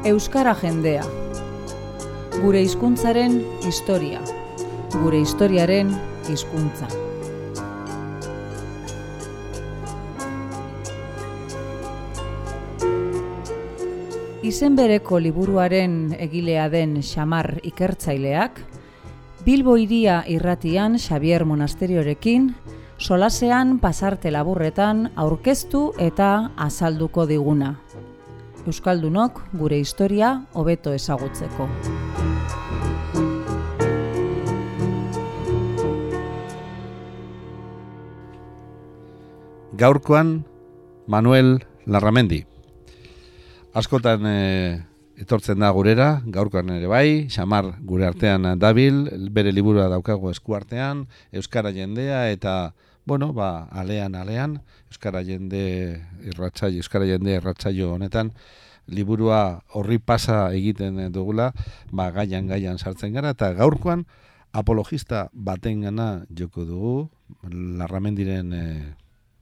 Euskara jendea. Gure hizkuntzaren historia. Gure historiaren hizkuntza. Izen bereko liburuaren egilea den Xamar ikertzaileak, Bilbo Hiria irratian Xabier Monasteriorekin, solasean pasarte laburretan aurkeztu eta azalduko diguna. Euskaldunok gure historia hobeto ezagutzeko. Gaurkoan Manuel Larramendi. Askotan etortzen da gurera, gaurkoan ere bai, Xamar gure artean dabil, bere liburua daukago eskuartean, Euskara jendea eta, alean, Euskara jende erratsaio honetan, liburua horri pasa egiten dugula, gaian sartzen gara, eta gaurkoan apologista batengana joko dugu, Larramendiren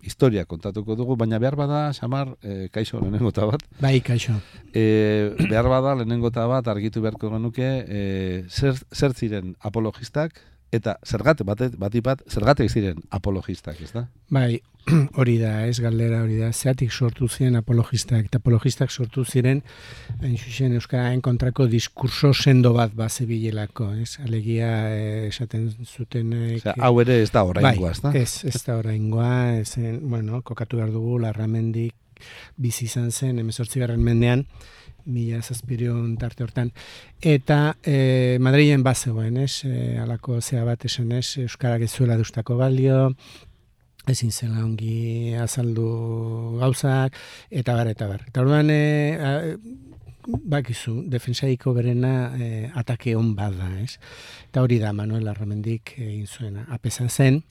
historia kontatuko dugu, baina behar bada, Xamar, kaixo lehenengo eta bat. Bai, kaixo. Behar bada lehenengo eta bat argitu beharko genuke, zer ziren apologistak, eta zergatik ziren apologistak, ez da? Bai, hori da, ez galdera hori da. Zeratik sortu ziren apologistak, eta apologistak sortu ziren, hain zuzen Euskararen kontrako diskurso sendo bat bazebilelako, ez? Alegia esaten zuten... hau ere ez da oraingoa, ez da? Bai, ez da oraingoa, kokatu behar dugu, Larramendik bizi izan zen, 18. mendean, 1700 tarte hortan, eta Madrilen bazegoen, alako zea bat esan, Euskarak ez zuela deustako balio, ezin zela ongi azaldu gauzak, eta bar. Eta orduan, bakizu, defensaiko berena atake on bada, ez? Eta hori da, Manuel Larramendik egin zuena. Apesa zen,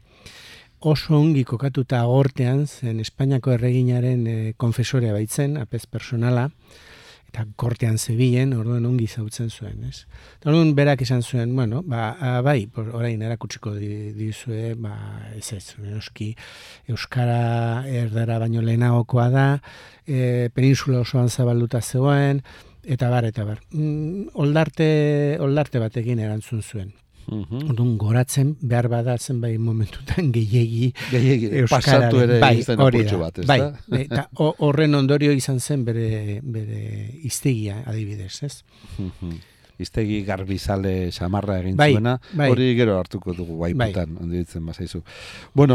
oso ongi kokatuta agortean zen Espainiako erreginaren konfesorea baitzen, apez personala, eta kortean zebilen, orduan ongi zautzen zuen, ez? Orduan berak esan zuen, orain erakutsiko dizue, ez, noski, Euskara erdara baino lehenagokoa da, peninsula osoan zabalduta zegoen, eta bar. Oldarte batekin erantzun zuen. Orduan goratzen behar bada zenbait momentutan gehiegi pasatu ere izan apurtxo bat, ez da? Eta horren ondorio izan zen bere hiztegia adibidez, ez? Hiztegi garbizale Xamarra egin zuena, hori gero hartuko dugu guaiputan, onditzen bazaizu.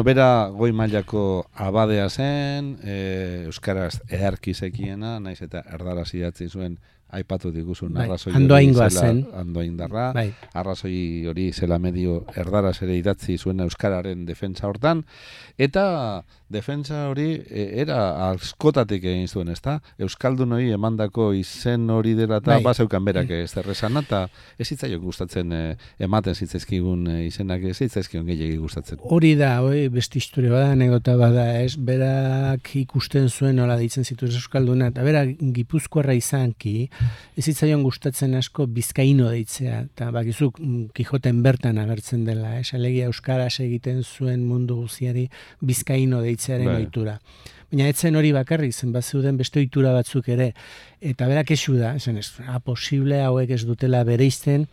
Bera goi mailako abadea zen, Euskaraz eharki zekiena, naiz eta erdaraz idatzi zuen, aipatu diguzun arrazoi Andoaindarra, arrazoi hori zela medio erdaraz ere idatzi zuen Euskararen defentsa hortan, eta defentsa hori era askotatik egin zuen, ezta? Euskaldun hori emandako izen hori dela eta bazeukan berak ez derrezana, eta ez zitzaion gustatzen ematen zitzaizkigun izenak, ez zitzaizkion gehiagi gustatzen. Hori da, beste historia bada, anekdota bada, ez? Berak ikusten zuen nola deitzen zituen Euskalduna, eta berak Gipuzkoarra izanki, ez zitzaion gustatzen asko bizkaino deitzea, eta bakizuk Kijoten bertan agertzen dela, alegia euskaraz egiten zuen mundu guziari bizkaino deitzearen ohitura. Baina etzen hori bakarrik, zen bazeuden beste ohitura batzuk ere, eta berak esu da, posible hauek ez dutela bereizten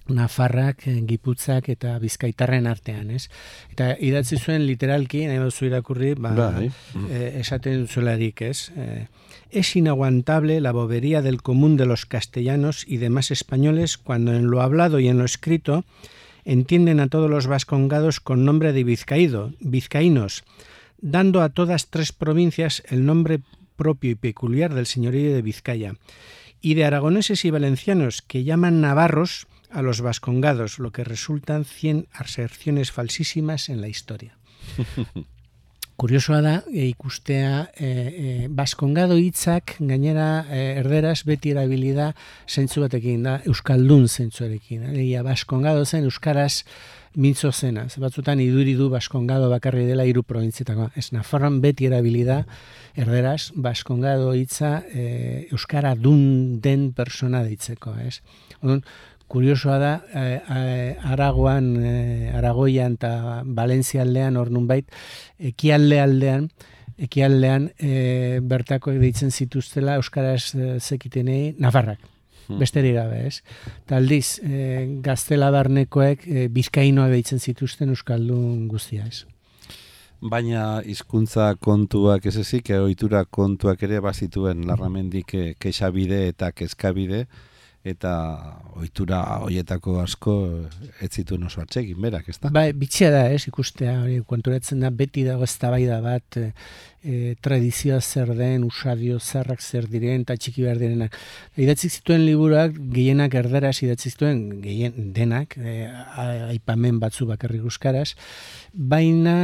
Nafarrak, Giputzak eta Bizkaitarren artean, ez? Eta idatzi zuen literalki, nahi baduzu irakurri, esaten zuelarik, ez? Es inaguantable la bobería del común de los castellanos y demás españoles cuando en lo hablado y en lo escrito entienden a todos los vascongados con nombre de vizcaínos, dando a todas tres provincias el nombre propio y peculiar del señorío de Vizcaya, y de aragoneses y valencianos que llaman navarros a los vascongados, lo que resultan 100 aserciones falsísimas en la historia. Kuriosoa da, ikustea, baskongado hitzak gainera erderaz beti erabili da zentzu batekin da, euskaldun zentzuarekin. Baskongado zen euskaraz mintzo zena. Batzutan iduridu baskongado bakarri dela 3 probintzietako. Ez Nafarroan beti erabili da erderaz baskongado hitza euskara dun den persona deitzeko, ez? Kuriosoa da, Aragoian eta Valentzia aldean, hor nunbait, ekialde aldean, ekialdean bertakoek deitzen zituztela euskaraz zekitenei nafarrak. Besterik gabe, ez? Eta aldiz, Gaztela barnekoek bizkainoak deitzen zituzten euskaldun guztia, ez? Baina hizkuntza kontuak ez ezik, ohitura kontuak ere bazituen Larramendik kexabide eta kezkabide, eta ohitura hoietako asko ez zituen oso atsegin berak, ezta? Bai, bitxia da, ez, ikustea, hori konturatzen da, beti dago eztabaida bat, tradizioa zer den, usadio zarrak zer diren, eta txiki behar direnak. Idatzik zituen liburuak, gehienak erderaz idatzik zituen, gehien denak, aipamen batzu bakarrik euskaraz, baina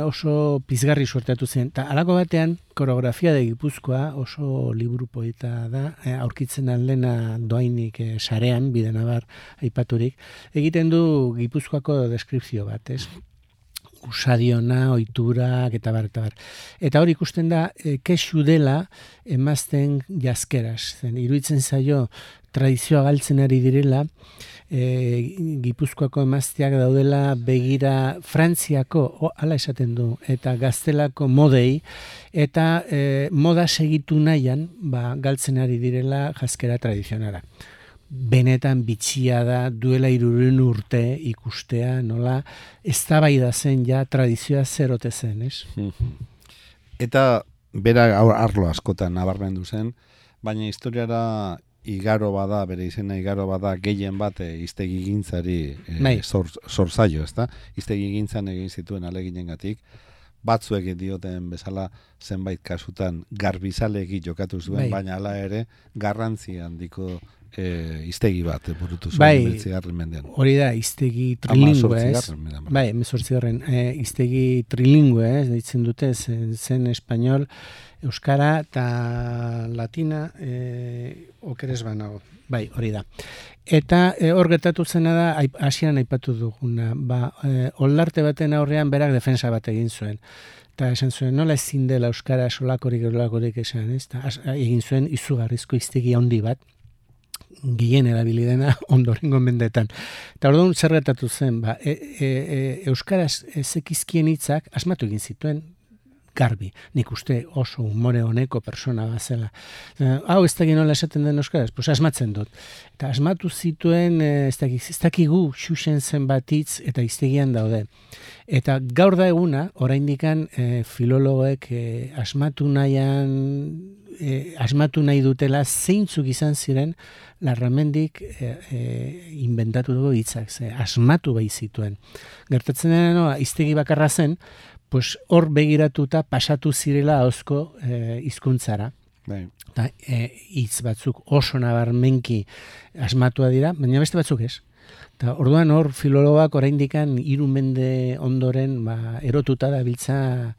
oso pizgarri suertatu zen. Eta halako batean, Koreografia de Gipuzkoa oso liburu poeta da, aurkitzen aldena doainik sarean, bidenabar aipaturik, egiten du Gipuzkoako deskripzio bat, ez? Usadiona, ohiturak eta bar. Eta hori ikusten da, kexu dela emazten jazkeraz. Iruditzen zaio tradizioa galtzen ari direla, Gipuzkoako emazteak daudela begira Frantziako, hala esaten du, eta Gaztelako modei, eta moda segitu nahian, galtzen ari direla jazkera tradizionala. Benetan bitxia da duela 300 urte ikustea, nola eztabaida zen ja tradizioa zerote zen, ez? Eta bera arlo askotan nabarmendu zen, baina historiara igaro bada, bere izena igaro bada gehien bat hiztegigintzari zorzaio, ezta? Hiztegigintzan egin zituen aleginengatik, batzuek dioten bezala zenbait kasutan garbizalegi jokatu zuen, baina hala ere garrantzi handiko hiztegi bat burutu zuen 19. mendean. Hori da, hiztegi trilingüe, ez? Bai, 18. Hiztegi trilingüe, ez? Deitzen dute, zen espanol, euskara eta latina okeres banago. Bai, hori da. Eta hor gertatu zena da, hasieran aipatu duguna, oldarte baten aurrean berak defensa bat egin zuen. Eta esan zuen, nola ezin dela euskara solakorik esan, ez? Egin zuen izugarrizko hiztegi handi bat, gehien erabilidena ondorengo mendetan. Eta orduan zer gertatu zen, euskaraz zekizkien hitzak asmatu egin zituen garbi. Nik uste oso humore honeko persona bazela. Hau ez dakit nola esaten den euskaraz, pues asmatzen dut. Eta asmatu zituen, ez dakigu xuxen zenbat hitz eta hiztegian daude. Eta gaur da eguna, oraindikan filologoek asmatu nahi dutela zeintzuk izan ziren Larramendik inventatu dugu hitzak, asmatu bai zituen. Gertatzen dena, hiztegi bakarra zen, pues hor begiratuta pasatu zirela ahozko hizkuntzara. Eta hitz batzuk oso nabarmenki asmatua dira, baina beste batzuk ez. Eta orduan hor filologoak oraindikan 3 mende ondoren erotuta dabiltza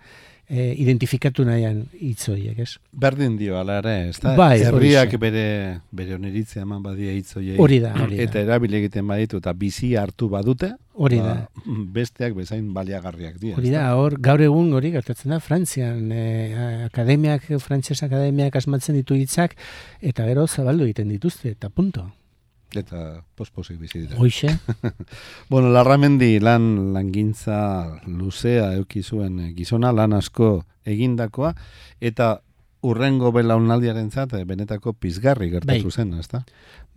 identifikatu nahian hitz horiek, ez? Berdin dio, ala ere, ez da? Bai, herriak bere oniritzia eman badia hitz horiek. Hori da. Eta erabili egiten baditu, eta bizi hartu badute, hori da. Besteak bezain baliagarriak dira. Hori da, hor, gaur egun hori gertatzen da, Frantzian, frantses akademiak asmatzen ditu hitzak, eta gero zabaldu egiten dituzte, eta punto. Eta posposik bizi dira. Hoixe. Bueno, Larramendi langintza luzea eduki zuen gizona, lan asko egindakoa, eta urrengo belaunaldiarentzat benetako pizgarri gertatu zen, ezta?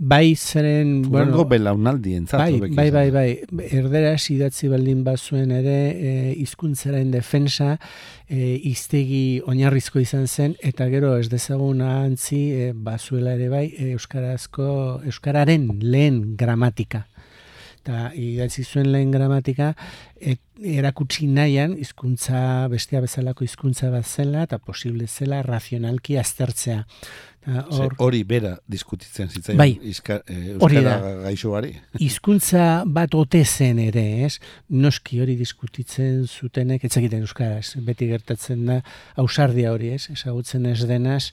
Bai, zeren... Urrengo belaunaldientzat. Bai. Erderaz idatzi baldin bazuen ere hizkuntzaren defensa hiztegi oinarrizko izan zen, eta gero ez dezagun ahantzi bazuela ere bai euskararen lehen gramatika. Eta idatzi zuen lehen gramatika erakutsi nahian hizkuntza bestea bezalako hizkuntza bat zela eta posible zela razionalki aztertzea. Hori bera diskutitzen zitzaion euskara gaixoari. Hizkuntza bat ote zen ere, ez? Noski hori diskutitzen zutenek, ez egiten euskaraz, beti gertatzen da ausardia hori, ez? Ezagutzen ez denaz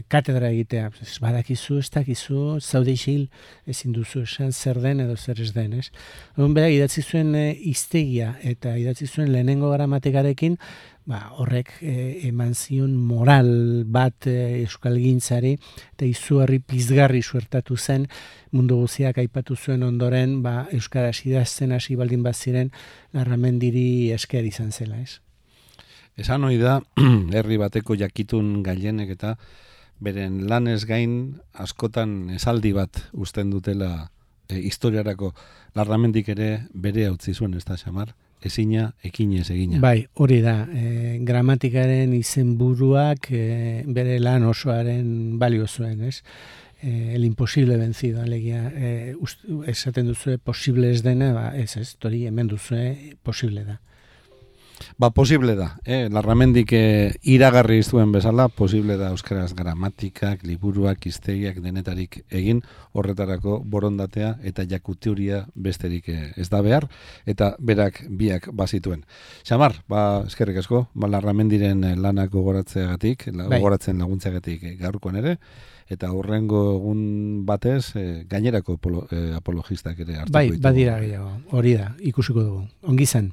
katedra egitea. Badakizu, ez dakizu, zaude isil, ezin duzu esan zer den edo zer ez den, ez? Bera, idatzi zuen hiztegia eta idatzi zuen lehenengo gramatikarekin, horrek eman zion moral bat euskalgintzari eta izugarri pizgarri suertatu zen mundu guztiak aipatu zuen ondoren euskaraz idazten hasi baldin baziren Larramendiri esker izan zela, ez? Esan hori da, herri bateko jakitun gailenek eta beren lanez gain askotan esaldi bat uzten dutela historiarako. Larramendik ere bere utzi zuen, ez da, Xamar? Ezina, ekinez egina. Bai, hori da. Gramatikaren izenburuak bere lan osoaren balio zuen, ez? El imposible vencido, alegia, esaten duzue posible ez dena, ez, hori hemen duzue posible da. Posible da. Larramendik iragarri zuen bezala, posible da euskaraz gramatikak, liburuak, hiztegiak denetarik egin, horretarako borondatea eta jakuteuria besterik ez da behar, eta berak biak bazituen. Xamar, eskerrik asko, Larramendiren lanak gogoratzeagatik, gogoratzen laguntzeagatik gaurkoan ere, eta horrengo egun batez gainerako apologistak ere hartuko ditu. Badira gehiago, hori da, ikusiko dugu. Ongi zen.